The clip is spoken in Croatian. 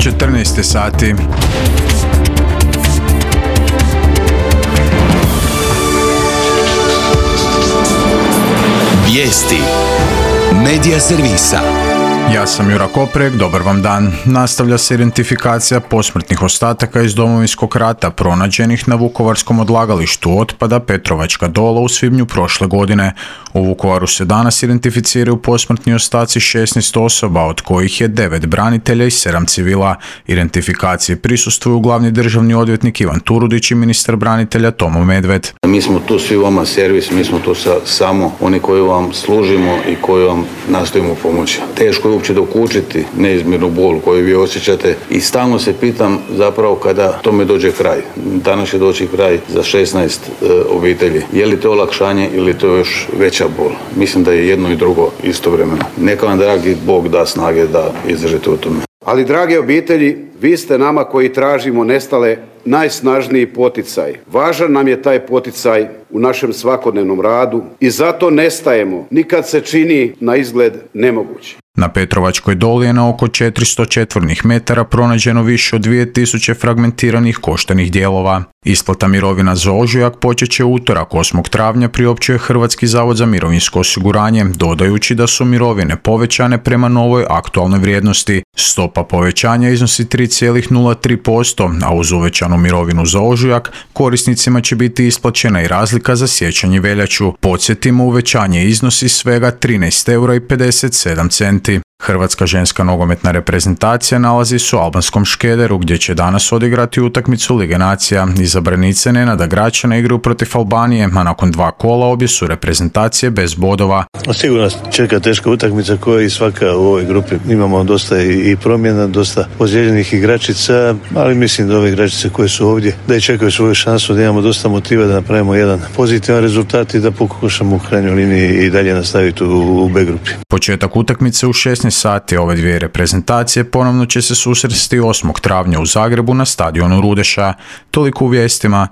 14 sati. Vijesti Medija servisa. Ja sam Jura Koprek, dobar vam dan. Nastavlja se identifikacija posmrtnih ostataka iz Domovinskog rata pronađenih na vukovarskom odlagalištu otpada Petrovačka Dola u svibnju prošle godine. U Vukovaru se danas identificiraju posmrtni ostaci 16 osoba, od kojih je 9 branitelja i 7 civila. Identifikaciji prisustvuju glavni državni odvjetnik Ivan Turudić i ministar branitelja Tomo Medved. Mi smo tu svi vama servis, mi smo tu samo oni koji vam služimo i koji vam nastojimo pomoći. Teško je uopće dokučiti neizmjernu bol koju vi osjećate i stalno se pitam zapravo kada tome dođe kraj. Danas će doći kraj za 16 obitelji. Je li to olakšanje ili to još veća bol? Mislim da je jedno i drugo istovremeno. Neka vam dragi Bog da snage da izdržite u tome. Ali drage obitelji, vi ste nama koji tražimo nestale najsnažniji poticaj. Važan nam je taj poticaj u našem svakodnevnom radu i zato ne stajemo ni kad se čini na izgled nemoguće. Na Petrovačkoj Doli je na oko 400 četvornih metara pronađeno više od 2000 fragmentiranih koštanih dijelova. Isplata mirovina za ožujak počet će utorak 8. travnja, priopćuje Hrvatski zavod za mirovinsko osiguranje, dodajući da su mirovine povećane prema novoj aktualnoj vrijednosti. Stopa povećanja iznosi 3,03%, a uz uvećanu mirovinu za ožujak korisnicima će biti isplaćena i razlika za siječanj i veljaču. Podsjetimo, uvećanje iznosi svega 13,57 €. Hrvatska ženska nogometna reprezentacija nalazi se u albanskom Škederu, gdje će danas odigrati utakmicu Lige nacija. Izabranice Nenada Gračana igraju protiv Albanije, a nakon 2 kola obje su reprezentacije bez bodova. Sigurno čeka teška utakmica koja i svaka u ovoj grupi. Imamo dosta i promjena, dosta ozlijeđenih igračica, ali mislim da ove igračice koje su ovdje da i čekaju svoju šansu, da imamo dosta motiva da napravimo jedan pozitivan rezultat i da pokušamo u krajnjoj liniji i dalje nastaviti u B grupi. Početak utakmice u 16 sati. Ove dvije reprezentacije ponovno će se susresti 8. travnja u Zagrebu na stadionu Rudeša. Toliko u vijestima.